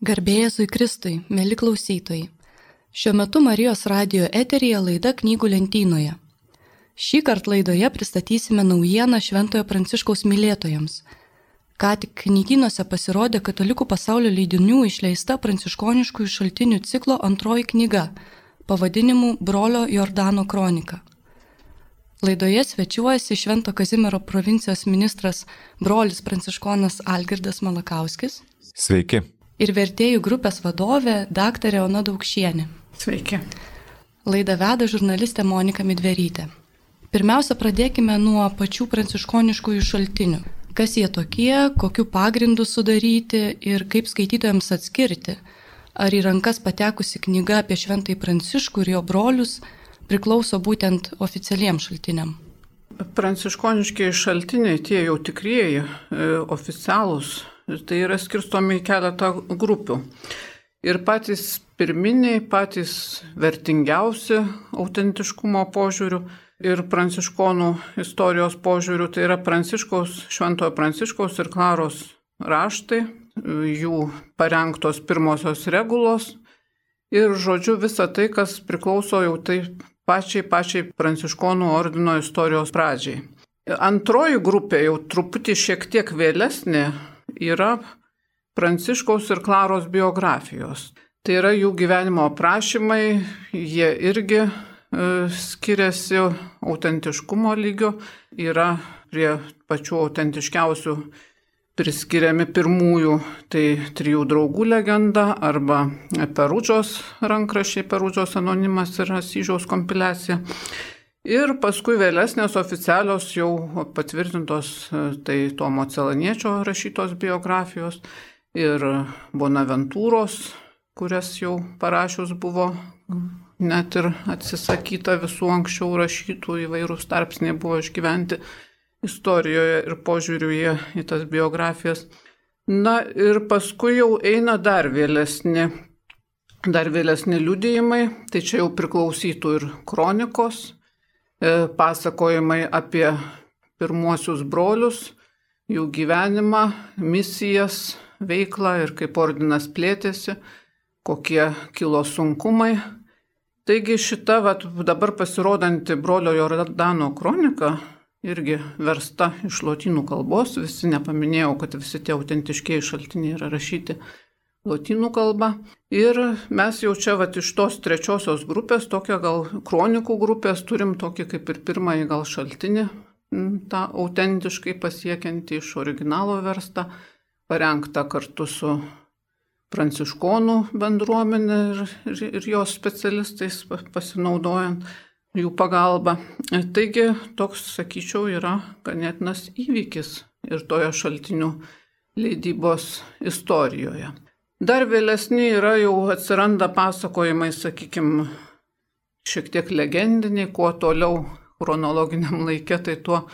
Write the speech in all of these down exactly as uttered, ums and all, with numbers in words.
Garbė Jėzui Kristui, mėly klausytojai. Šiuo metu Marijos radijo eteryje laida Knygų lentynoje. Šį kartą laidoje pristatysime naujieną Šventojo Pranciškaus mylėtojams. Ką tik knygynuose pasirodė Katalikų pasaulio leidinių išleista pranciškoniškųjų šaltinių ciklo antroji knyga, pavadinimu Brolio Jordano kronika. Laidoje svečiuojasi Švento Kazimiero provincijos ministras brolis pranciškonas Algirdas Malakauskis. Sveiki. Ir vertėjų grupės vadovė daktarė Ona Daukšienė. Sveiki. Laidą veda žurnalistė Monika Midverytė. Pirmiausia, pradėkime nuo pačių pranciškoniškųjų šaltinių. Kas jie tokie, kokiu pagrindu sudaryti ir kaip skaitytojams atskirti, ar į rankas patekusi knyga apie Šventąjį Pranciškų ir jo brolius priklauso būtent oficialiems šaltiniam. Pranciškoniškiai šaltiniai, tie jau tikrieji, e, oficialūs, tai yra skirstomi į keletą grupių. Ir patys pirminiai, patys vertingiausi autentiškumo požiūrių ir pranciškonų istorijos požiūrių, tai yra Pranciškaus, Šventojo Pranciškaus ir Klaros raštai, jų parengtos pirmosios regulos ir, žodžiu, visa tai, kas priklauso jau tai pačiai, pačiai pranciškonų ordino istorijos pradžiai. Antroji grupė, jau truputį šiek tiek vėlesnė, yra Pranciškaus ir Klaros biografijos. Tai yra jų gyvenimo aprašymai, jie irgi e, skiriasi autentiškumo lygio, yra prie pačių autentiškiausių priskiriami pirmųjų, tai trijų draugų legenda arba Perudžos rankraščiai, Perudžos anonimas ir Asyžiaus kompiliacija. Ir paskui vėlesnės oficialios jau patvirtintos, tai Tomo Celaniečio rašytos biografijos ir Bonaventūros, kurias jau parašius buvo net ir atsisakyta visų anksčiau rašytų, įvairūs tarpsniai buvo išgyventi istorijoje ir požiūriuje į tas biografijas. Na ir paskui jau eina dar vėlesni, dar vėlesni liudijimai, tai čia jau priklausytų ir kronikos, pasakojimai apie pirmuosius brolius, jų gyvenimą, misijas, veiklą ir kaip ordinas plėtėsi, kokie kilo sunkumai. Taigi šita vat, dabar pasirodanti Brolio Jordano kronika, irgi versta iš lotynų kalbos, visi nepaminėjau, kad visi tie autentiškiai šaltiniai yra rašyti lotynų kalba. Ir mes jau čia vat, iš tos trečiosios grupės, tokią gal kronikų grupės, turim tokį kaip ir pirmąjį gal šaltinį, tą autentiškai pasiekiantį iš originalo verstą, parengtą kartu su pranciškonų bendruomenė ir, ir, ir jos specialistais pasinaudojant jų pagalbą. Taigi toks, sakyčiau, yra ganėtinas įvykis ir toje šaltinių leidybos istorijoje. Dar vėlesni yra jau atsiranda pasakojimai, sakykime, šiek tiek legendiniai, kuo toliau chronologiniam laike, tai tuo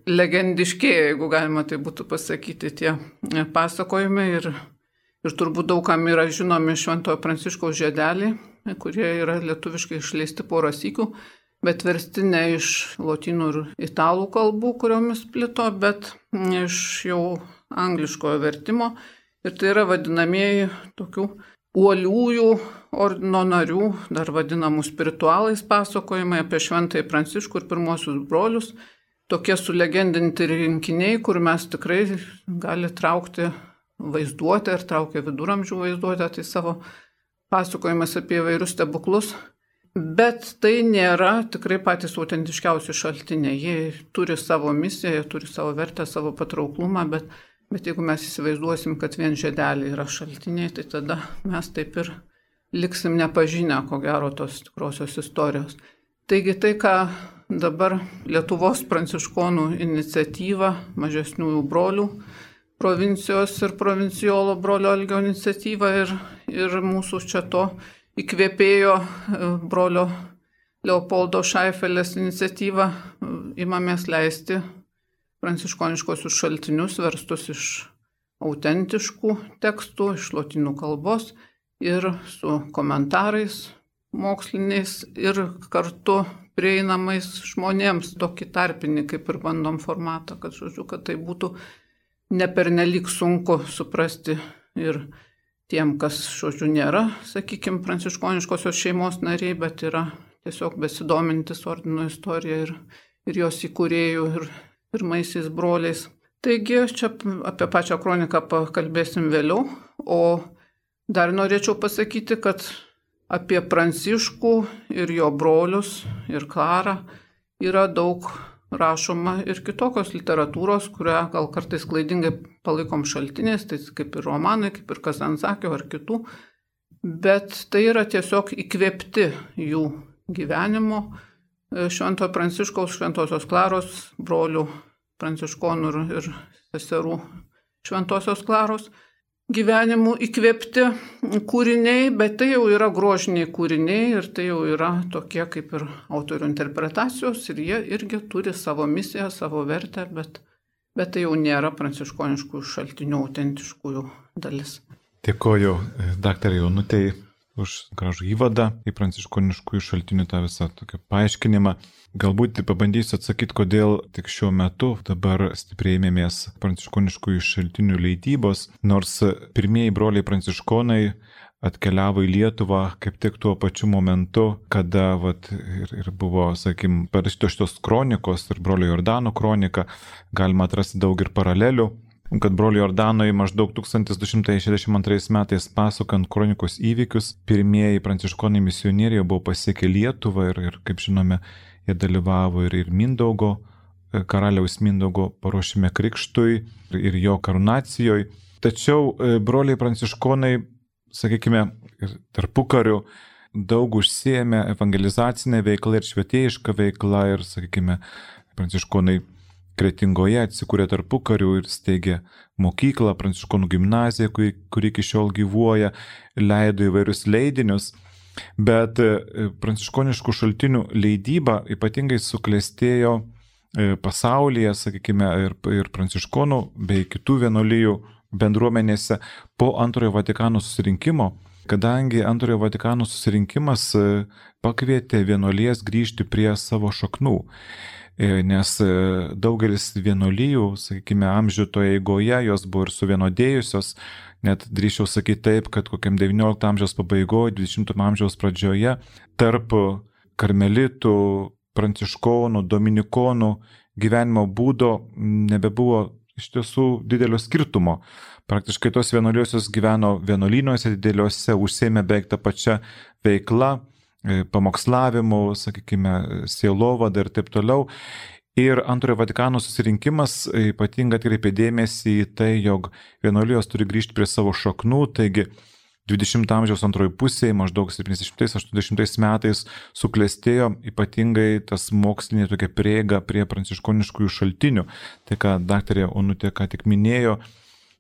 legendiškėja, jeigu galima tai būtų pasakyti, tie pasakojimai. Ir, ir turbūt daugam yra žinomi Šventojo Pranciškaus žiedeliai, kurie yra lietuviškai išleisti porą sykių, bet versti ne iš lotynų ir italų kalbų, kuriomis plito, bet iš jau angliškojo vertimo. Ir tai yra vadinamieji tokių uoliųjų ordino narių, dar vadinamų spiritualais pasakojimai apie Šventąjį Pranciškų ir pirmosius brolius. Tokie sulegendinti rinkiniai, kur mes tikrai gali traukti vaizduotę ir traukia viduramžių vaizduotę, tai savo pasakojimas apie įvairius stebuklus. Bet tai nėra tikrai patys autentiškiausi šaltiniai. Jie turi savo misiją, jie turi savo vertę, savo patrauklumą, bet Bet jeigu mes įsivaizduosim, kad vien žiedeliai yra šaltiniai, tai tada mes taip ir liksim nepažinę, ko gero, tos tikrosios istorijos. Taigi tai, ką dabar Lietuvos pranciškonų iniciatyva, mažesniųjų brolių, provincijos ir provincijolo brolio Algio iniciatyva ir, ir mūsų čia to įkvėpėjo brolio Leopoldo Šaifelės iniciatyva, imamės leisti pranciškoniškosius šaltinius verstus iš autentiškų tekstų, iš lotynų kalbos ir su komentarais moksliniais ir kartu prieinamais žmonėms, tokį tarpinį kaip ir bandom formatą, kad, žodžiu, kad tai būtų nepernelyg sunku suprasti ir tiem, kas, žodžiu, nėra, sakykime, pranciškoniškosios šeimos nariai, bet yra tiesiog besidomintis ordino istorija ir, ir jos įkūrėjų ir pirmaisiais broliais. Taigi, čia apie pačią kroniką pakalbėsim vėliau, o dar norėčiau pasakyti, kad apie Pranciškų ir jo brolius ir Klarą yra daug rašoma ir kitokios literatūros, kurią gal kartais klaidingai palaikom šaltiniais, tai kaip ir romanai, kaip ir Kazantzakio ar kitų, bet tai yra tiesiog įkvėpti jų gyvenimo Šventojo Pranciškaus, Šventosios Klaros, brolių pranciškonų ir, ir seserų Šventosios Klaros gyvenimų įkvėpti kūriniai, bet tai jau yra grožiniai kūriniai ir tai jau yra tokie kaip ir autorių interpretacijos ir jie irgi turi savo misiją, savo vertę, bet, bet tai jau nėra pranciškoniškųjų šaltinių autentiškųjų dalis. Dėkoju daktarai Onutei už gražų įvadą į pranciškoniškųjų šaltinių tą visą tokį paaiškinimą. Galbūt pabandysiu atsakyti, kodėl tik šiuo metu dabar stipriai ėmėmės pranciškoniškųjų šaltinių leidybos, nors pirmieji broliai pranciškonai atkeliavo į Lietuvą kaip tik tuo pačiu momentu, kada vat, ir, ir buvo, sakykim, parašytos šitos kronikos ir brolio Jordano kronika, galima atrasti daug ir paralelių. Kad brolio Jordanui maždaug tūkstantis du šimtai šešiasdešimt antrais metais pasakant kronikos įvykius, pirmieji pranciškonai misionieriai buvo pasiekę Lietuvą ir, ir kaip žinome, jie dalyvavo ir, ir Mindaugo, karaliaus Mindaugo paruošime krikštui ir jo karūnacijoje. Tačiau broliai pranciškonai, sakykime, tarpukariu daug užsiėmė evangelizacinę veiklą ir švietėjišką veiklą ir, sakykime, pranciškonai Kretingoje atsikūrė tarpukariu ir steigė mokyklą, pranciškonų gimnaziją, kuri, kuri iki šiol gyvuoja, leido įvairius leidinius, bet pranciškoniškų šaltinių leidyba ypatingai suklestėjo pasaulyje, sakykime, ir, ir pranciškonų bei kitų vienuolijų bendruomenėse po Antrojo Vatikano susirinkimo, kadangi Antrojo Vatikano susirinkimas pakvietė vienuolijas grįžti prie savo šaknų. Nes daugelis vienuolijų, sakykime, amžiutoje eigoje jos buvo ir suvienodėjusios, net drįsčiau sakyti taip, kad kokiam devyniolikto amžiaus pabaigoje, dvidešimto amžiaus pradžioje tarp karmelitų, pranciškonų, dominikonų gyvenimo būdo nebebuvo iš tiesų didelio skirtumo. Praktiškai tos vienuolijos gyveno vienuolynuose dideliuose, užsiėmė beveik tą pačią veiklą, pamokslavimu, sakykime, sielovada ir taip toliau. Ir Antrojo Vatikano susirinkimas ypatingai atkreipė dėmesį į tai, jog vienuolijos turi grįžti prie savo šaknų, taigi dvidešimto amžiaus antroji pusėje, maždaug septyniasdešimtais aštuoniasdešimtais metais suklestėjo ypatingai tas mokslinė tokia prieiga prie pranciškoniškųjų šaltinių. Tai, ką daktarė Onutė ką tik minėjo,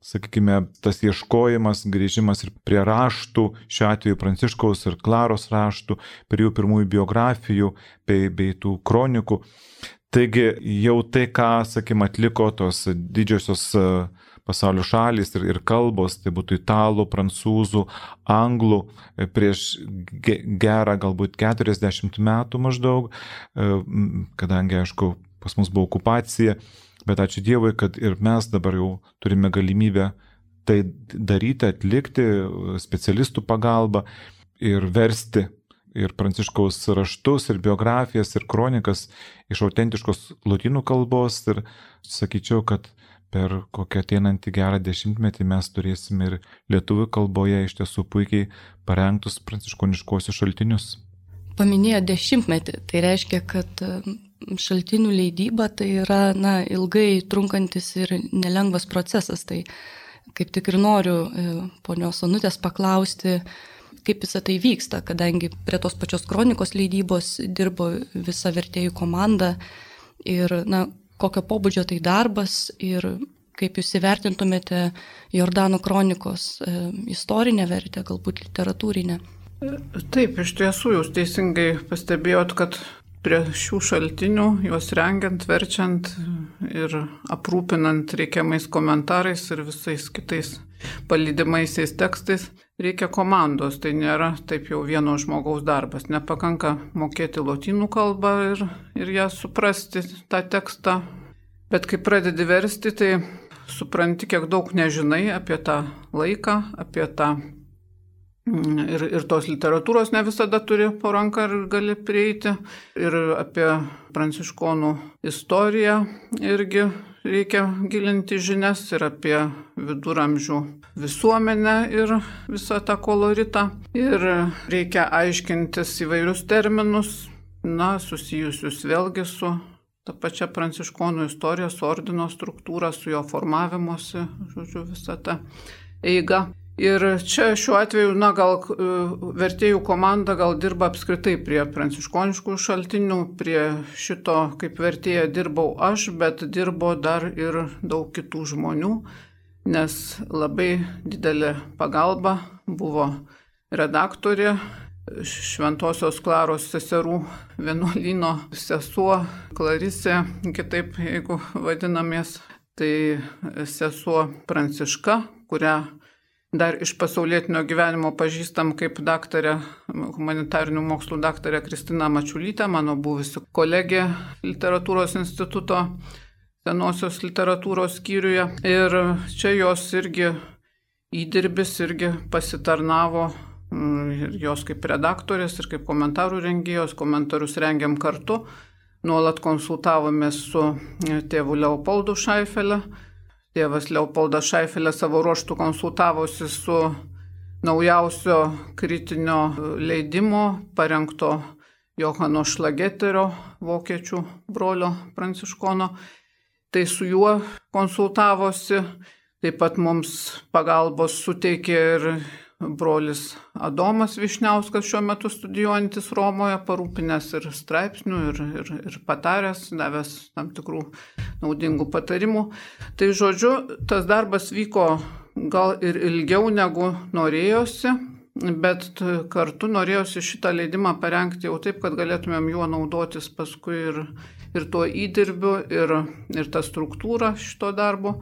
sakykime, tas ieškojimas, grįžimas ir prie raštų, šiuo atveju Pranciškaus ir Klaros raštų, prie jų pirmųjų biografijų bei, bei tų kronikų. Taigi jau tai, ką, sakykime, atliko tos didžiosios pasaulio šalys ir, ir kalbos, tai būtų italų, prancūzų, anglų, prieš gerą galbūt keturiasdešimt metų maždaug, kadangi, aišku, pas mus buvo okupacija. Bet ačiū Dievui, kad ir mes dabar jau turime galimybę tai daryti, atlikti specialistų pagalbą ir versti ir Pranciškaus raštus, ir biografijas, ir kronikas iš autentiškos lotynų kalbos. Ir sakyčiau, kad per kokią ateinantį gerą dešimtmetį mes turėsime ir lietuvių kalboje iš tiesų puikiai parengtus pranciškoniškuosius šaltinius. Paminėjo dešimtmetį, tai reiškia, kad šaltinių leidyba tai yra na, ilgai trunkantis ir nelengvas procesas. Tai kaip tik ir noriu ponios Onutės paklausti, kaip visą tai vyksta, kadangi prie tos pačios kronikos leidybos dirbo visa vertėjų komanda ir na, kokio pobūdžio tai darbas ir kaip jūs įvertintumėte Jordano kronikos istorinę vertę, galbūt literatūrinę. Taip, iš tiesų jūs teisingai pastebėjot, kad prie šių šaltinių, juos rengiant, verčiant ir aprūpinant reikiamais komentarais ir visais kitais palydimaisiais tekstais, reikia komandos. Tai nėra taip jau vieno žmogaus darbas. Nepakanka mokėti lotynų kalbą ir, ir ją suprasti, tą tekstą. Bet kai pradedi versti, tai supranti, kiek daug nežinai apie tą laiką, apie tą Ir, ir tos literatūros ne visada turi po ranką ir gali prieiti. Ir apie pranciškonų istoriją irgi reikia gilinti žinias ir apie viduramžių visuomenę ir visą tą koloritą. Ir reikia aiškintis įvairius terminus, na, susijusius vėlgi su ta pačia pranciškonų istorija, su ordino struktūra, su jo formavimuose, žodžiu, visą tą eigą. Ir čia šiuo atveju, na, gal vertėjų komanda gal dirba apskritai prie pranciškoniškų šaltinių, prie šito kaip vertėja dirbau aš, bet dirbo dar ir daug kitų žmonių, nes labai didelė pagalba buvo redaktorė, Šventosios Klaros seserų vienuolyno sesuo Klarisė, kitaip jeigu vadinamės, tai sesuo Pranciška, kurią dar iš pasaulietinio gyvenimo pažįstam kaip daktarė, humanitarinių mokslų daktarė Kristina Mačiulytė, mano buvusi kolegė Literatūros instituto senosios literatūros skyriuje. Ir čia jos irgi įdirbis irgi pasitarnavo ir jos kaip redaktorės ir kaip komentarų rengėjos, komentarus rengiam kartu, nuolat konsultavomės su tėvu Leopoldu Šaifele. Tėvas Leopoldas Šaifelė savo ruožtų konsultavosi su naujausio kritinio leidimo parengto Johano Šlageterio, vokiečių brolio pranciškono. Tai su juo konsultavosi, taip pat mums pagalbos suteikė ir brolis Adomas Višniauskas, šiuo metu studijuojantis Romoje, parūpinęs ir straipsnių, ir, ir, ir pataręs, davęs tam tikrų naudingų patarimų. Tai žodžiu, tas darbas vyko gal ir ilgiau negu norėjosi, bet kartu norėjosi šitą leidimą parengti jau taip, kad galėtumėm juo naudotis paskui ir, ir tuo įdirbiu, ir, ir tą struktūrą šito darbo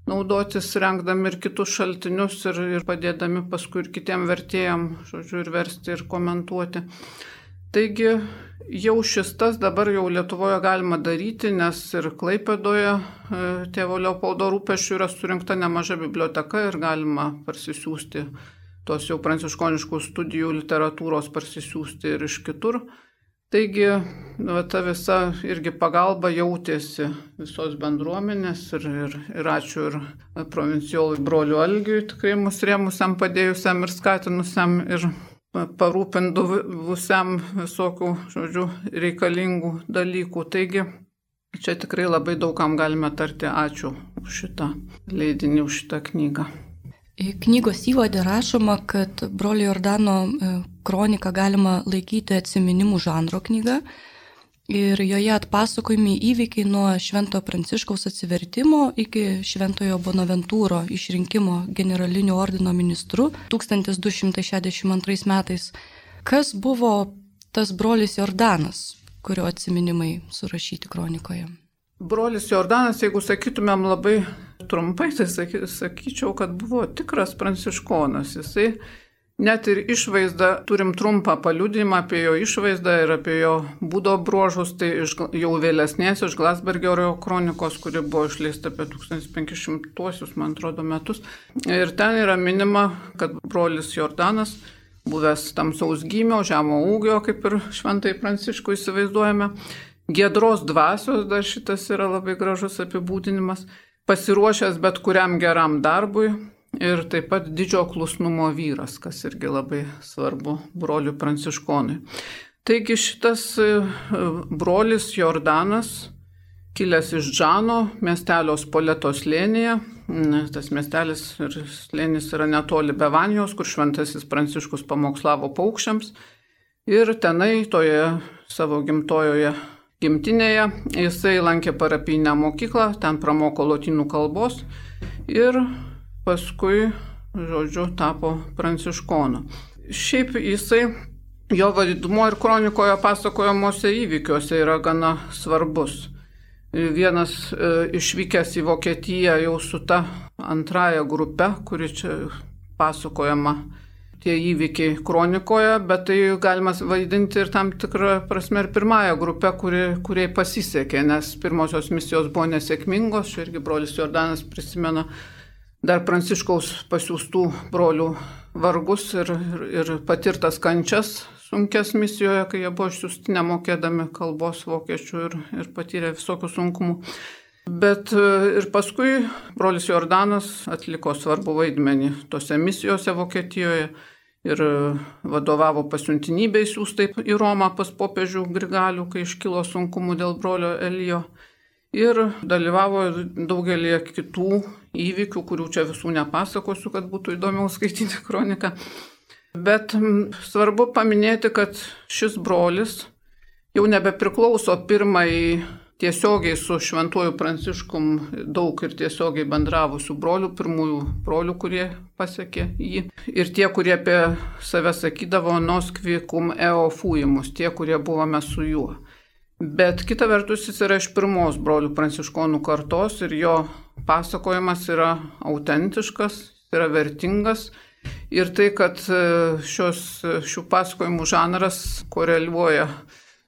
naudotis, rengdami ir kitus šaltinius ir, ir padėdami paskui ir kitiem vertėjam, žodžiu, ir versti ir komentuoti. Taigi jau šis tas dabar jau Lietuvoje galima daryti, nes ir Klaipėdoje tėvo Leopoldo rūpesčių yra surinkta nemaža biblioteka ir galima parsisiųsti tos jau pranciškoniškų studijų literatūros parsisiųsti ir iš kitur. Taigi, va, ta visa irgi pagalba jautėsi visos bendruomenės ir, ir, ir ačiū ir provincijolui broliu Algiui, tikrai mus rėmusiam, padėjusiam ir skatinusiam ir parūpindusiam visokių, žodžiu, reikalingų dalykų. Taigi, čia tikrai labai daugam galime tarti ačiū už šitą leidinį, už šitą knygą. Knygos įvade rašoma, kad brolio Jordano kroniką galima laikyti atsiminimų žanro knyga ir joje atpasakojami įvykiai nuo Švento Pranciškaus atsivertimo iki Šventojo Bonaventūro išrinkimo generaliniu ordino ministru tūkstantis du šimtai šešiasdešimt antrais metais. Kas buvo tas brolis Jordanas, kurio atsiminimai surašyti kronikoje? Brolis Jordanas, jeigu sakytumėm labai trumpai, tai sakyčiau, kad buvo tikras pranciškonas. Jisai net ir išvaizdą, turim trumpą paliudijimą apie jo išvaizdą ir apie jo būdo bruožus, tai iš, jau vėlesnės iš Glasbergerio kronikos, kuri buvo išleista apie tūkstantis penki šimtuosius, man atrodo, metus. Ir ten yra minima, kad brolis Jordanas, buvęs tamsaus gymio, žemo ūgio, kaip ir šventai Pranciškų įsivaizduojame, giedros dvasios, dar šitas yra labai gražus apibūdinimas, pasiruošęs bet kuriam geram darbui ir taip pat didžio klusnumo vyras, kas irgi labai svarbu broliui pranciškonui. Taigi šitas brolis Jordanas, kilęs iš Džano, miestelio Spoleto slėnyje, tas miestelis ir slėnis yra netoli Bevanijos, kur šventasis Pranciškus pamokslavo paukščiams, ir tenai toje savo gimtojoje gimtinėje jisai lankė parapijinę mokyklą, ten pramoko lotynų kalbos ir paskui, žodžiu, tapo pranciškonu. Šiaip jisai, jo vaidmuo ir kronikoje pasakojamuose įvykiuose yra gana svarbus. Vienas e, išvykęs į Vokietiją jau su ta antraja grupe, kuri čia pasakojama tie įvykiai kronikoje, bet tai galima vaidinti ir tam tikrą prasme ir pirmąją grupę, kuri, kuriai pasisekė, nes pirmosios misijos buvo nesėkmingos, čia irgi brolis Jordanas prisimena dar Pranciškaus pasiųstų brolių vargus ir, ir, ir patirtas kančias sunkes misijoje, kai jie buvo išsiųsti nemokėdami kalbos vokiečių ir, ir patyrė visokių sunkumų. Bet ir paskui brolis Jordanas atliko svarbų vaidmenį tose misijose Vokietijoje ir vadovavo pasiuntinybei siųstai į Romą pas popiežių Grigalių, kai iškilo sunkumų dėl brolio Elijo. Ir dalyvavo daugelį kitų įvykių, kurių čia visų nepasakosiu, kad būtų įdomiau skaityti kroniką. Bet svarbu paminėti, kad šis brolis jau nebepriklauso pirmai tiesiogiai su šventuoju Pranciškum daug ir tiesiogiai bendravusių brolių, pirmųjų brolių, kurie pasiekė jį. Ir tie, kurie apie save sakydavo nos qui cum eo fuimus, tie, kurie buvome su juo. Bet kita vertus jis yra iš pirmos brolių pranciškonų kartos ir jo pasakojimas yra autentiškas, yra vertingas. Ir tai, kad šios, šių pasakojimų žanras koreliuoja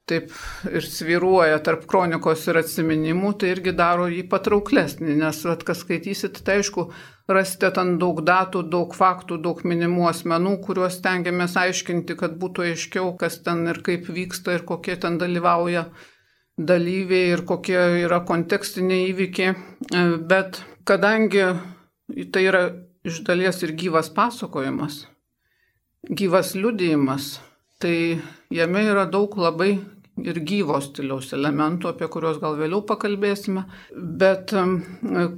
taip ir svyruoja tarp kronikos ir atsiminimų, tai irgi daro jį patrauklesnį, nes at, kas skaitysit, tai aišku, rasite ten daug datų, daug faktų, daug minimų asmenų, kuriuos stengiamės aiškinti, kad būtų aiškiau, kas ten ir kaip vyksta ir kokie ten dalyvauja dalyviai ir kokie yra kontekstiniai įvykiai. Bet kadangi tai yra iš dalies ir gyvas pasakojimas, gyvas liudijimas, tai jame yra daug labai ir gyvo stiliaus elementų, apie kuriuos gal vėliau pakalbėsime. Bet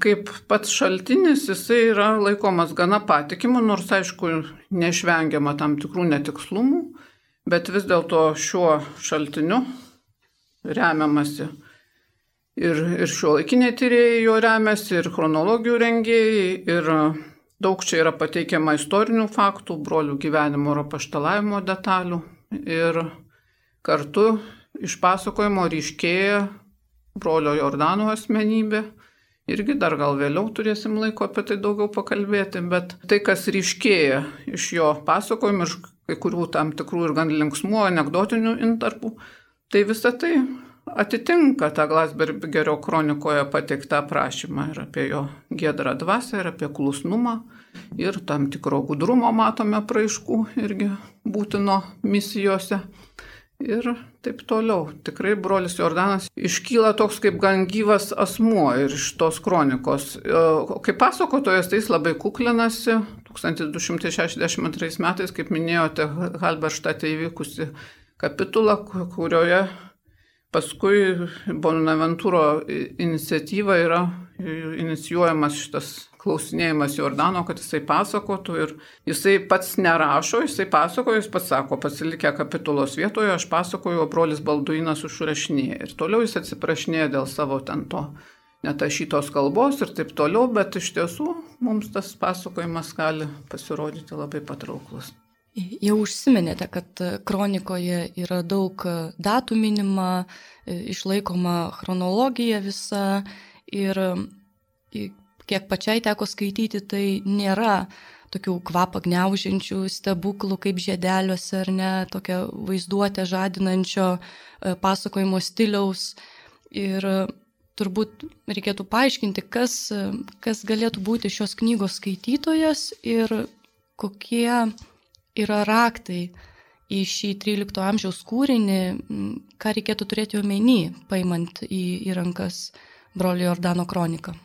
kaip pats šaltinis, jisai yra laikomas gana patikimu, nors aišku neišvengiama tam tikrų netikslumų, bet vis dėlto šiuo šaltiniu remiamasi. Ir, ir šiuolaikiniai tyrėjai jo remiasi, ir chronologijų rengėjai, ir daug čia yra pateikiama istorinių faktų, brolių gyvenimo ir apaštalavimo detalių. Ir kartu iš pasakojimo ryškėja brolio Jordano asmenybė. Irgi dar gal vėliau turėsim laiko apie tai daugiau pakalbėti, bet tai, kas ryškėja iš jo pasakojimų, iš kai kurių tam tikrų ir gan linksmų anekdotinių intarpų, tai visa tai atitinka tą Glasbergerio kronikoje pateiktą aprašymą ir apie jo giedrą dvasią, ir apie klusnumą, ir tam tikro gudrumo matome praiškų irgi būtino misijose ir taip toliau. Tikrai brolis Jordanas iškyla toks kaip gan gyvas asmuo ir iš tos kronikos. Kaip pasakotojas, tai jis labai kuklinasi. tūkstantis du šimtai šešiasdešimt antrais metais, kaip minėjote, Halberštate įvykusi kapitula, kurioje paskui Bonaventūro iniciatyva yra inicijuojamas šitas klausinėjimas Jordano, kad jisai pasakotų ir jisai pats nerašo, jisai pasakoja, jis pats sako, pasilikę kapitulos vietoje, aš pasakoju, o brolis Balduinas užrašinėja. Ir toliau jis atsiprašinėja dėl savo ten to netašytos kalbos ir taip toliau, bet iš tiesų mums tas pasakojimas gali pasirodyti labai patrauklus. Jau užsiminėte, kad kronikoje yra daug datų minima, išlaikoma chronologija visa ir kiek pačiai teko skaityti, tai nėra tokių kvapą gniaužiančių stebuklų kaip žiedeliuose ar ne, tokia vaizduotė žadinančio pasakojimo stiliaus. Ir turbūt reikėtų paaiškinti, kas, kas galėtų būti šios knygos skaitytojas ir kokie yra raktai į šį trylikto amžiaus kūrinį, ką reikėtų turėti omeny, paimant į, į rankas brolio Jordano kroniką.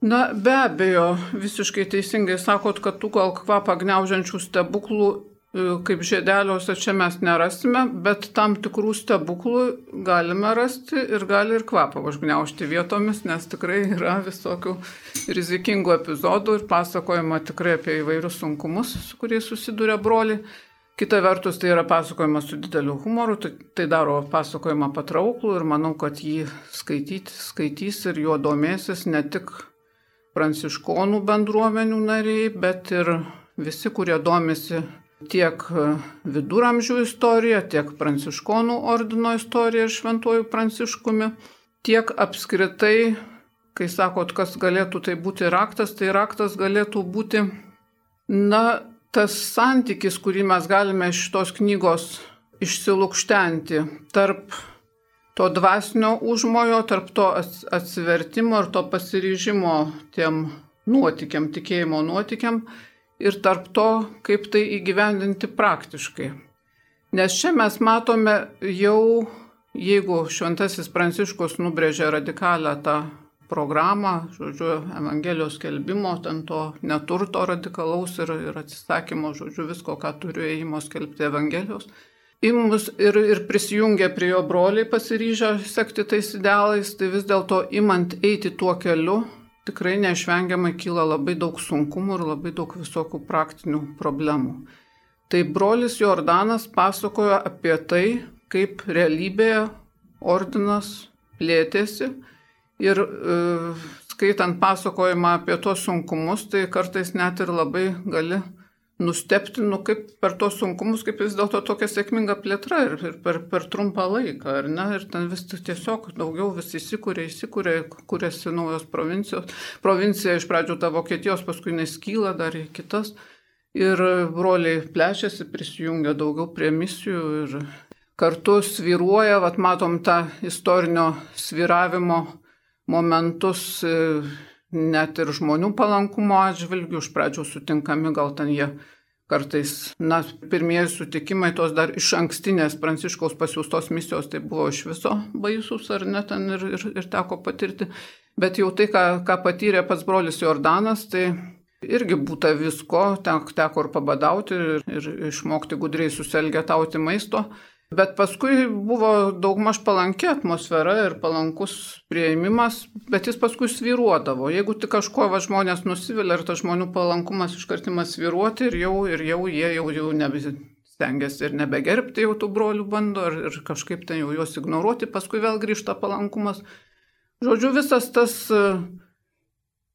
Na, be abejo, visiškai teisingai sakot, kad tų gal kvapą gniaužiančių stebuklų kaip žiedeliuose čia mes nerasime, bet tam tikrų stebuklų galime rasti ir gali ir kvapą užgniaužti vietomis, nes tikrai yra visokių rizikingų epizodų ir pasakojama tikrai apie įvairius sunkumus, su kuriais susiduria broliai. Kita vertus, tai yra pasakojimas su dideliu humoru, tai, tai daro pasakojimą patrauklų ir manau, kad jį skaityti, skaitys ir juo domėsis ne tik pranciškonų bendruomenių nariai, bet ir visi, kurie domisi tiek viduramžių istorija, tiek pranciškonų ordino istorija ir šventuoju Pranciškumi, tiek apskritai, kai sakot, kas galėtų tai būti raktas, tai raktas galėtų būti, na, tas santykis, kurį mes galime iš šitos knygos išsilukštenti tarp to dvasinio užmojo, tarp to atsivertimo ir to pasiryžimo tiem nuotikiam, tikėjimo nuotikiam ir tarp to, kaip tai įgyvendinti praktiškai. Nes čia mes matome jau, jeigu Šventasis Pranciškus nubrėžė radikalią tą programą, žodžiu, Evangelijos skelbimo, ten to neturto radikalaus ir, ir atsisakymo, žodžiu, visko, ką turiu ėjimo skelbti Evangelijos. Imus ir, ir prisijungė prie jo broliai pasiryžę sekti tais idealais, tai vis dėlto imant eiti tuo keliu, tikrai neišvengiamai kyla labai daug sunkumų ir labai daug visokių praktinių problemų. Tai brolis Jordanas pasakojo apie tai, kaip realybėje ordinas plėtėsi ir e, skaitant pasakojimą apie tos sunkumus, tai kartais net ir labai gali nustebti, nu kaip per tos sunkumus, kaip vis dėlto tokia sėkminga plėtra ir, ir per, per trumpą laiką, ar ne? Ir ten vis tiesiog daugiau vis įsikūrė, įsikūrė, kūrėsi naujos provincijos. Provincija iš pradžių ta Vokietijos, paskui neskyla dar į kitas. Ir broliai plečiasi, prisijungia daugiau prie misijų ir kartu svyruoja, vat matom tą istorinio svyravimo momentus net ir žmonių palankumo atžvilgių, iš pradžių sutinkami, gal ten jie kartais, na, pirmieji sutikimai tos dar iš ankstinės Pranciškaus pasiūstos misijos, tai buvo iš viso baisus, ar ne, ten ir, ir, ir teko patirti. Bet jau tai, ką, ką patyrė pats brolis Jordanas, tai irgi būta visko, teko ir pabadauti ir, ir išmokti gudriai susielgetauti maisto. Bet paskui buvo daugmaž palanki atmosfera ir palankus prieimimas, bet jis paskui svyruodavo. Jeigu tik kažko va, žmonės nusivilia ir tas žmonių palankumas iškartimas svyruoti ir jau, ir jau jie jau, jau nebestengiasi ir nebegerbti jau tų brolių bando ir, ir kažkaip ten jau juos ignoruoti, paskui vėl grįžta palankumas. Žodžiu, visas tas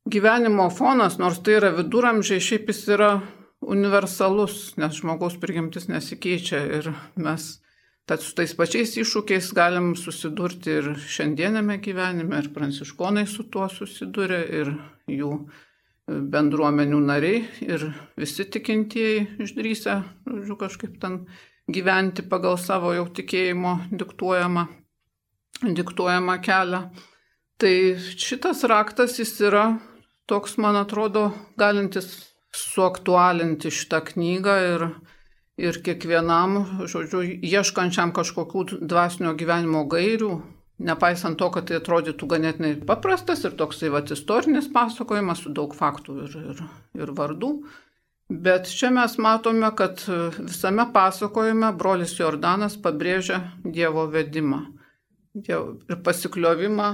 gyvenimo fonas, nors tai yra viduramžiai, šiaip jis yra universalus, nes žmogaus prigimtis nesikeičia ir mes tad su tais pačiais iššūkiais galim susidurti ir šiandienėme gyvenime, ir pranciškonai su tuo susiduria, ir jų bendruomenių nariai, ir visi tikintieji išdrįsę, žodžiu, kažkaip ten gyventi pagal savo jau tikėjimo diktuojamą, diktuojamą kelią. Tai šitas raktas jis yra toks, man atrodo, galintis suaktualinti šitą knygą ir Ir kiekvienam, žodžiu, ieškančiam kažkokių dvasinio gyvenimo gairių, nepaisant to, kad tai atrodytų ganėtinai paprastas ir toksai vat, istorinis pasakojimas su daug faktų ir, ir, ir vardų. Bet čia mes matome, kad visame pasakojime brolis Jordanas pabrėžia Dievo vedimą dievo, ir pasikliovimą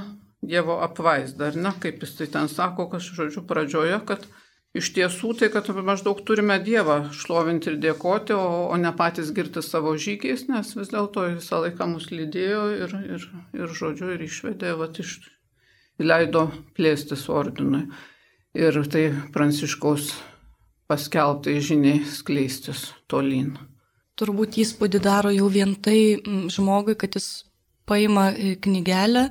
Dievo apvaizdą. Ar ne, kaip jis tai ten sako, kad, žodžiu, pradžioje, kad iš tiesų tai, kad maždaug turime Dievą šlovinti ir dėkoti, o, o ne patys girti savo žygiais, nes vis dėlto visą laiką mus lydėjo ir, ir, ir žodžiu, ir išvedė, vat, iš, leido plėstis ordinui. Ir tai Pranciškaus paskelbtai žiniai skleistis tolyn. Turbūt įspūdį daro jau vien tai žmogui, kad jis paima knygelę,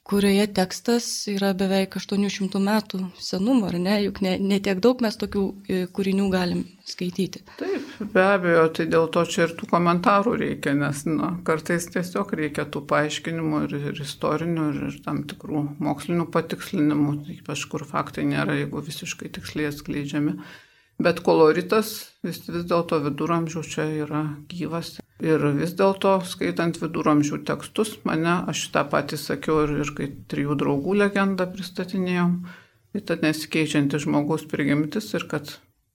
kurioje tekstas yra beveik aštuonių šimtų metų senumo, ar ne? Juk ne, ne tiek daug mes tokių kūrinių galim skaityti. Taip, be abejo, tai dėl to čia ir tų komentarų reikia, nes na, kartais tiesiog reikia tų paaiškinimų ir, ir istorinių, ir, ir tam tikrų mokslinių patikslinimų, ypač kur faktai nėra, jeigu visiškai tiksliai atskleidžiami. Bet koloritas vis, vis dėlto viduramžių čia yra gyvas. Ir vis dėlto, skaitant viduramžių tekstus, mane, aš tą patį sakiau ir, ir kai trijų draugų legendą pristatinėjom, tai tad nesikeičianti žmogaus prigimtis ir kad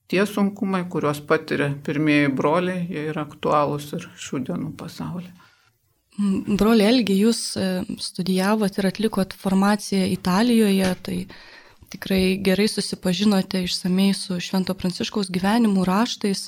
tie sunkumai, kuriuos patiria pirmieji broliai, jie yra aktualūs ir šių dienų pasaulyje. Broli Elgi, jūs studijavot ir atlikot formaciją Italijoje, tai tikrai gerai susipažinote išsamei su Švento Pranciškaus gyvenimu, raštais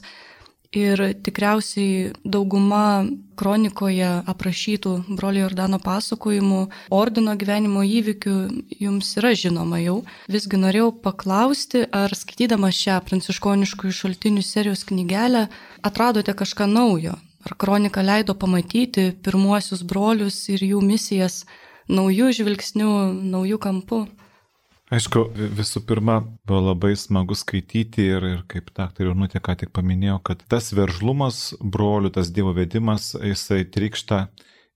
ir tikriausiai dauguma kronikoje aprašytų brolio Jordano pasakojimų, ordino gyvenimo įvykių jums yra žinoma jau. Visgi norėjau paklausti, ar skaitydamas šią pranciškoniškųjų šaltinių serijos knygelę atradote kažką naujo? Ar kronika leido pamatyti pirmuosius brolius ir jų misijas naujų žvilgsnių, naujų kampų? Aišku, visų pirma, buvo labai smagu skaityti ir, ir kaip daktarė Onutė ką tik paminėjo, kad tas veržlumas brolių, tas Dievo vedimas, jisai trykšta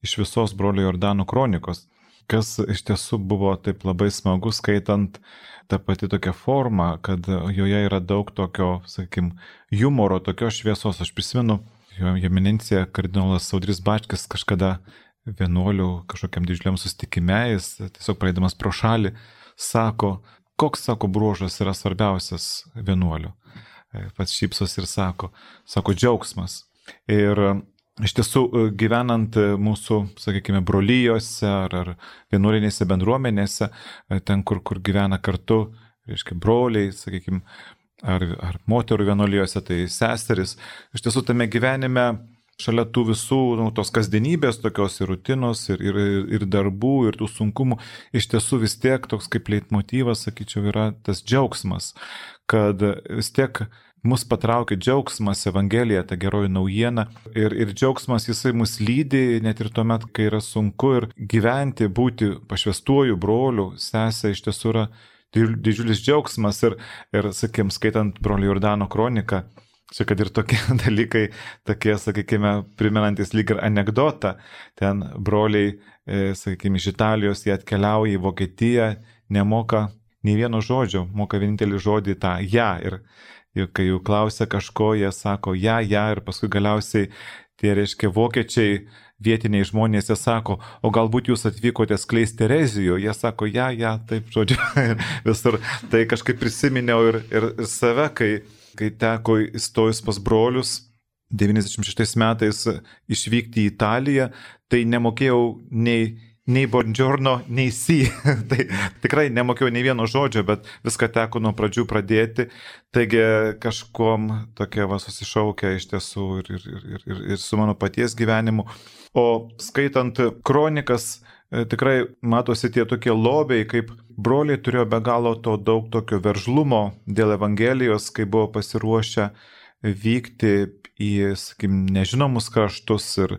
iš visos brolio Jordano kronikos. kas iš tiesų buvo taip labai smagu skaitant tą pati tokią formą, kad joje yra daug tokio, sakykim, humoro, tokios šviesos. Aš prisimenu, jo eminencija kardinolas Audrys Bačkis kažkada vienuolių kažkokiam didžiuliam susitikime, jis tiesiog praeidamas pro šalį sako, koks, sako, bruožas yra svarbiausias vienuolių. Pats šypsos ir sako, sako, džiaugsmas. Ir iš tiesų, gyvenant mūsų, sakykime, brolyjose ar, ar vienuolinėse bendruomenėse, ten, kur, kur gyvena kartu, reiškia, broliai, sakykime, ar, ar moterų vienuolijose, tai seseris, iš tiesų tame gyvenime šalia tų visų, nu, tos kasdienybės, tokios ir rutinos, ir, ir, ir darbų, ir tų sunkumų, iš tiesų vis tiek toks kaip leitmotyvas, sakyčiau, yra tas džiaugsmas, kad vis tiek mus patraukia džiaugsmas, Evangelija, ta geroji naujiena, ir, ir džiaugsmas jisai mus lydi net ir tuomet, kai yra sunku, ir gyventi, būti pašvęstuoju broliu, sesė, iš tiesų yra didžiulis džiaugsmas, ir, ir sakėm, skaitant brolio Jordano kroniką, čia kad ir tokie dalykai, tokie, sakykime, primenantis lyg ir anegdotą, ten broliai, e, sakykime, iš Italijos jie atkeliauja į Vokietiją, nemoka nei vieno žodžio, moka vienintelį žodį tą ja, ir, ir kai jų klausia kažko, jie sako ja, ja, ir paskui galiausiai tie, reiškia, vokiečiai, vietiniai žmonės, jie sako, o galbūt jūs atvykote skleisti erezijų, jie sako, ja, ja, taip, žodžiu, visur. Tai kažkaip prisiminiau ir, ir, ir save, kai, kai teko įstojus pas brolius devyniasdešimt šeštais metais išvykti į Italiją, tai nemokėjau nei nei buongiorno, nei si. Tai tikrai nemokėjau nei vieno žodžio, bet viską teko nuo pradžių pradėti. Taigi kažkuom tokia va susišaukia iš tiesų ir, ir, ir, ir, ir su mano paties gyvenimu. O skaitant kronikas, tikrai matosi tie tokie lobiai, kaip broliai turėjo be galo to daug tokio veržlumo dėl Evangelijos, kai buvo pasiruošę vykti į, sakykim, nežinomus kraštus, ir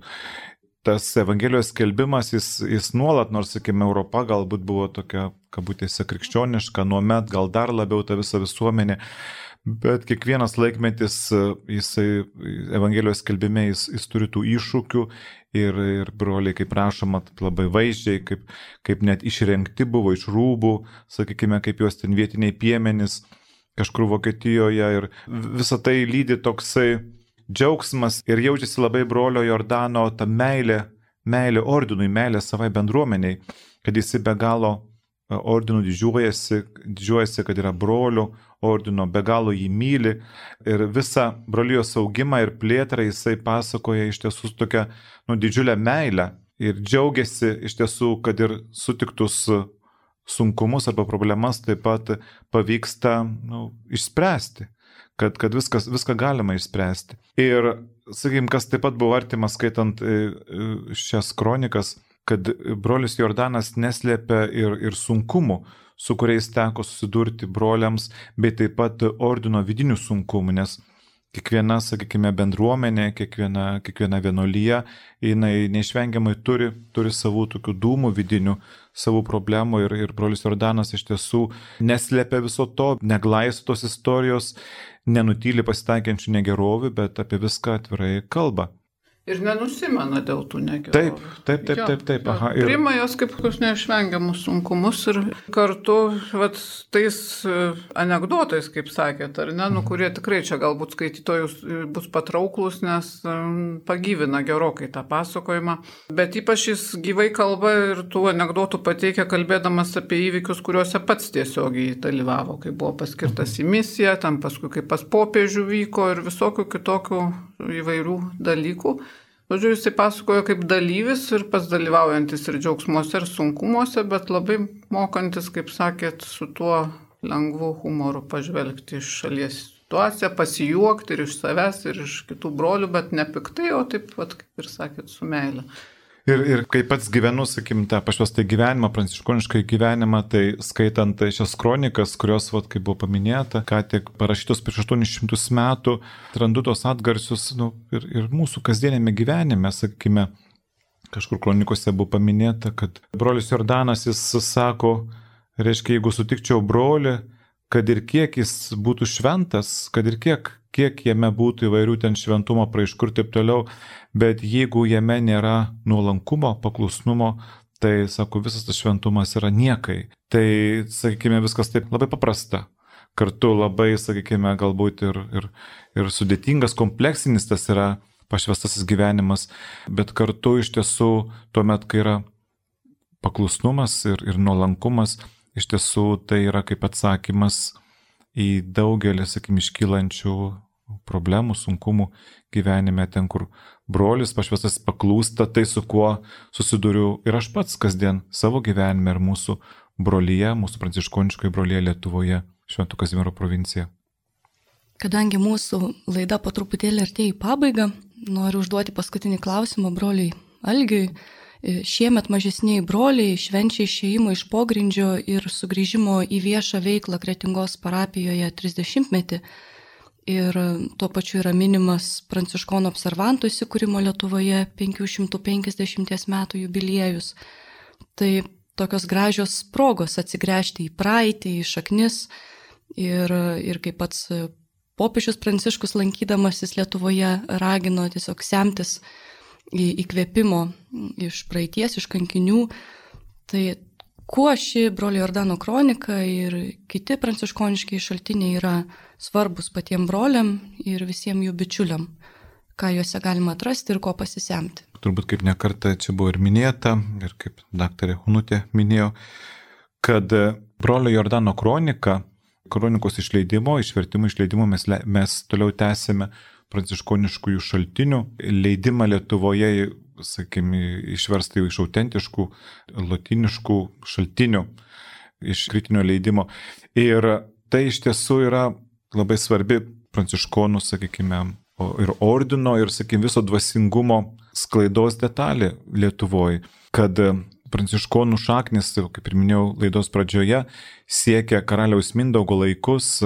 tas Evangelijos skelbimas, jis, jis nuolat, nors, sakykime, Europa galbūt buvo tokia, kabutėse, krikščioniška, nuomet gal dar labiau ta visa visuomenė, bet kiekvienas laikmetis, jisai, Evangelijos skelbime, jis, jis turi tų iššūkių, ir, ir broliai, kaip rašoma, labai vaizdžiai, kaip, kaip net išrengti buvo iš rūbų, sakykime, kaip juos ten vietiniai piemenys kažkur Vokietijoje, ir visą tai lydi toksai džiaugsmas, ir jaučiasi labai brolio Jordano ta meilė, meilė ordinui, meilė savai bendruomeniai, kad jis be galo ordinų didžiuojasi, didžiuojasi, kad yra brolių ordino, be galo jį myli, ir visą brolijos augimą ir plėtrą jisai pasakoja iš tiesų tokią, nu, didžiulę meilę, ir džiaugiasi iš tiesų, kad ir sutiktus sunkumus arba problemas taip pat pavyksta, nu, išspręsti. Kad, kad viskas, viską galima išspręsti. Ir, sakykim, kas taip pat buvo artimas skaitant šias kronikas, kad brolis Jordanas neslėpia ir, ir sunkumų, su kuriais teko susidurti broliams, bei taip pat ordino vidinių sunkumų, nes kiekviena, sakykime, bendruomenė, kiekviena, kiekviena vienuolija, jinai neišvengiamai turi, turi savų tokių dūmų vidinių, savų problemų, ir, ir brolis Jordanas iš tiesų neslėpia viso to, neglaisto tos istorijos, nenutyli pasitaikiančių negerovių, bet apie viską atvirai kalba. Ir nenusimena dėl tų negerovių. Taip, taip, taip, taip, taip. Aha, ir... Priima jos kaip kokius neišvengiamus sunkumus, ir kartu vat, tais anekdotais, kaip sakėt, ar ne, nu, kurie tikrai čia galbūt skaitytojus bus patrauklus, nes um, pagyvina gerokai tą pasakojimą. Bet ypač jis gyvai kalba ir tų anekdotų pateikia, kalbėdamas apie įvykius, kuriuose pats tiesiogiai dalyvavo, kai buvo paskirtas į misiją, tam paskui kaip pas popiežių vyko ir visokių kitokių įvairių dalykų. Žodžiu, jisai pasakojo kaip dalyvis ir pats dalyvaujantis ir džiaugsmuose, ir sunkumuose, bet labai mokantis, kaip sakėt, su tuo lengvu humoru pažvelgti iš šalies situaciją, pasijuokti ir iš savęs, ir iš kitų brolių, bet ne piktai, o taip pat, kaip ir sakėt, su meile. Ir, ir kai pats gyvenu, sakim, tą pašvestą gyvenimą, pranciškonišką gyvenimą, tai skaitant šias kronikas, kurios, vat, kaip buvo paminėta, ką tik parašytos prieš aštuonis šimtus metų, randu tos atgarsius, nu, ir, ir mūsų kasdienėme gyvenime, sakykime, kažkur kronikose buvo paminėta, kad brolis Jordanas, jis sako, reiškia, jeigu sutikčiau brolį, kad ir kiek jis būtų šventas, kad ir kiek, kiek jame būtų įvairių ten šventumo praiškų ir taip toliau, bet jeigu jame nėra nuolankumo, paklusnumo, tai, sako, visas tas šventumas yra niekai. Tai, sakykime, viskas taip labai paprasta. Kartu labai, sakykime, galbūt ir, ir, ir sudėtingas, kompleksinis tas yra pašvestasis gyvenimas, bet kartu iš tiesų tuomet, kai yra paklusnumas ir, ir nuolankumas, iš tiesų tai yra kaip atsakymas į daugelį, sakykime, iškylančių problemų, sunkumų gyvenime, ten, kur brolis pašvestas paklūsta, tai su kuo susiduriu ir aš pats kasdien savo gyvenime ir mūsų brolyje, mūsų pranciškoniškoje brolyje Lietuvoje, Švento Kazimiero provincija. Kadangi mūsų laida po truputėlį artėja į pabaigą, noriu užduoti paskutinį klausimą broliui Algiui. Šiemet mažesniai broliai švenčia išėjimo iš pogrindžio ir sugrįžimo į viešą veiklą Kretingos parapijoje trisdešimtmetį. Ir tuo pačiu yra minimas pranciškonų observantų įsikūrimo Lietuvoje penkių šimtų penkiasdešimties metų jubiliejus. Tai tokios gražios progos atsigręžti į praeitį, į šaknis ir, ir kaip pats popiežius Pranciškus lankydamasis Lietuvoje ragino tiesiog semtis įkvėpimo iš praeities, iš kankinių. Tai kuo ši brolio Jordano kronika ir kiti pranciškoniški šaltiniai yra svarbus patiems broliam ir visiems jų bičiuliam, ką juose galima atrasti ir ko pasisemti. Turbūt kaip nekartą čia buvo ir minėta, ir kaip daktarė Hunutė minėjo, kad brolio Jordano kronika, kronikos išleidimo, išvertimo išleidimo mes, mes toliau tęsėme pranciškoniškųjų šaltinių leidimą Lietuvoje, sakykime, išversta iš autentiškų lotyniškų šaltinių, iš kritinio leidimo. Ir tai iš tiesų yra labai svarbi pranciškonų, sakykime, ir ordino, ir, sakykime, viso dvasingumo sklaidos detalė Lietuvoje, kad pranciškonų šaknis, kaip ir minėjau laidos pradžioje, siekia karaliaus Mindaugo laikus,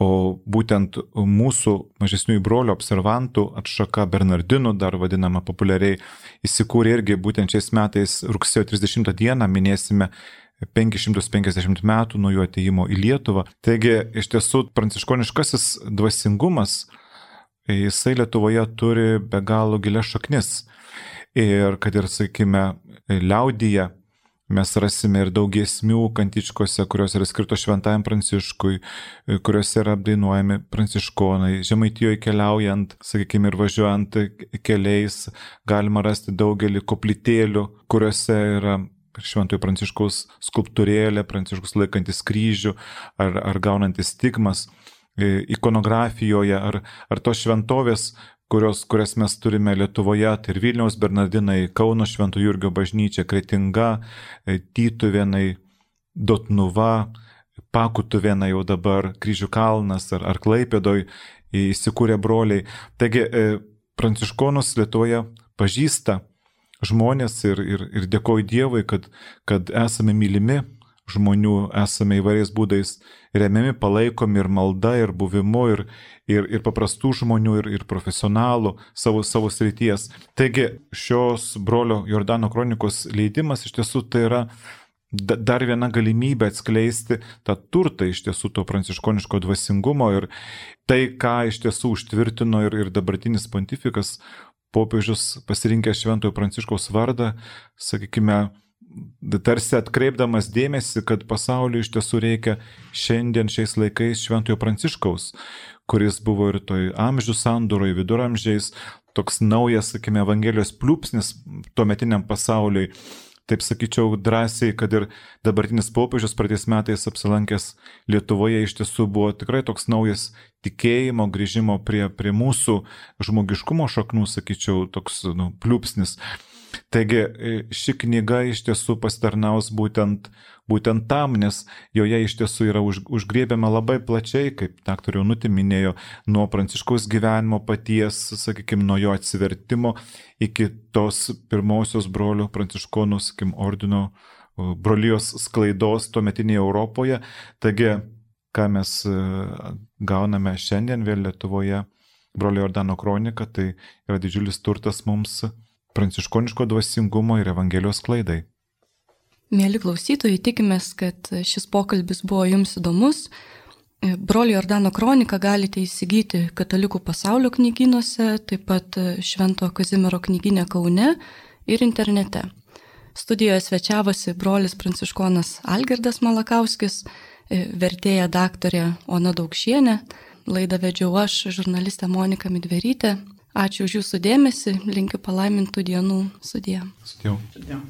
o būtent mūsų mažesniųjų brolių observantų atšaka Bernardinų, dar vadinama populiariai, įsikūrė irgi būtent šiais metais rugsėjo trisdešimtą dieną, minėsime penkis šimtus penkiasdešimt metų nuo jų atėjimo į Lietuvą. Taigi, iš tiesų, pranciškoniškasis dvasingumas, jisai Lietuvoje turi be galo gilias šaknis. Ir kad ir, sakykime, liaudyje mes rasime ir daug giesmių kantičkose, kurios yra skirtos šventajam Pranciškui, kuriuose yra apdainuojami pranciškonai. Žemaitijoje keliaujant, sakykime, ir važiuojant keliais, galima rasti daugelį koplytėlių, kuriuose yra šventojo Pranciškaus skulptūrėlė, Pranciškus laikantis kryžių ar, ar gaunantis stigmas. Ikonografijoje ar, ar tos šventovės, kurios, kurias mes turime Lietuvoje, tai ir Vilniaus Bernardinai, Kauno Švento Jurgio bažnyčia, Kretinga, Tytuvėnai, Dotnuva, Pakutuvėnai jau dabar, Kryžių kalnas ar, ar Klaipėdoj įsikūrė broliai. Taigi, pranciškonus Lietuvoje pažįsta žmonės ir, ir, ir dėkoju Dievui, kad, kad esame mylimi žmonių, esame įvairiais būdais remiami, palaikomi ir malda, ir buvimu, ir, ir, ir paprastų žmonių, ir, ir profesionalų savo, savo srities. Taigi šios brolio Jordano kronikos leidimas iš tiesų tai yra dar viena galimybė atskleisti tą turtą iš tiesų to pranciškoniško dvasingumo ir tai, ką iš tiesų užtvirtino ir, ir dabartinis pontifikas, popiežius pasirinkęs Šventojo Pranciškaus vardą, sakykime, tarsi atkreipdamas dėmesį, kad pasauliu iš tiesų reikia šiandien šiais laikais Šventojo Pranciškaus, kuris buvo ir toj amžių sandūroje, viduramžiais, toks naujas, sakykime, Evangelijos pliūpsnis tuometiniam pasauliui. Taip sakyčiau drąsiai, kad ir dabartinis popiežius praeitais metais apsilankęs Lietuvoje iš tiesų buvo tikrai toks naujas tikėjimo, grįžimo prie, prie mūsų žmogiškumo šaknų, sakyčiau, toks nu, pliūpsnis. Taigi ši knyga iš tiesų pasitarnaus būtent, būtent tam, nes joje iš tiesų yra už, užgriebiama labai plačiai, kaip daktarė Hunutė minėjo, nuo Pranciškaus gyvenimo paties, sakykime, nuo jo atsivertimo iki tos pirmosios brolių pranciškonų, sakykime, ordino brolijos sklaidos tuometinėje Europoje. Taigi, ką mes gauname šiandien vėl Lietuvoje, brolio Jordano kronika, tai yra didžiulis turtas mums pranciškoniško dvasingumo ir Evangelijos sklaidai. Mėly klausytojai, tikimės, kad šis pokalbis buvo jums įdomus. Brolio Jordano kroniką galite įsigyti Katalikų pasaulio knygynuose, taip pat Švento Kazimiero knygyne Kaune ir internete. Studijoje svečiavosi brolis pranciškonas Algirdas Malakauskis, vertėja daktarė Ona Daukšienė. Laidą vedžiau aš, žurnalistė Monika Midverytė. Ačiū už jūsų dėmesį, linkiu palaimintų dienų. Sudie. Sudie. Sudie.